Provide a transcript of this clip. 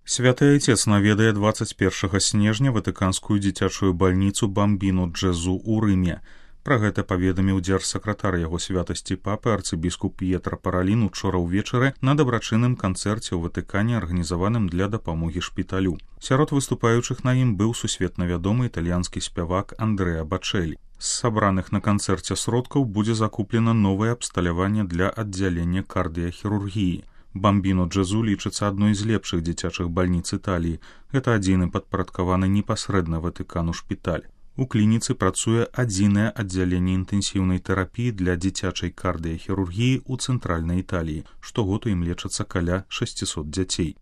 Святы Айцец наведае 21 снежня ватыканскую дзіцячую бальніцу Бамбіну Джезу ў Рыме. Пра гэта паведаміў дзяржсакратар яго святасці папы арцыбіскуп П'етра Паралін учора ўвечары на дабрачынным канцэрце ў Ватыкане, арганізаваным для дапамогі шпіталю. Сярод выступаючых на ім быў сусветна вядомы італьянскі спявак Андрэа Бачэлі. З сабраных на канцэрце сродкаў будзе закуплена новае абсталяванне для аддзялення кардыяхірургіі. Бамбіно Джезу лічыцца адной з лепшых дзіцячых бальніц Італіі. Гэта адзіны падпарадкаваны непасрэдна Ватыкану шпіталь. У клініцы працуе адзінае аддзяленне інтэнсіўнай тэрапіі для дзіцячай кардыяхірургіі ў цэнтральнай Італіі. Штогод у ім лечацца каля 600 дзяцей.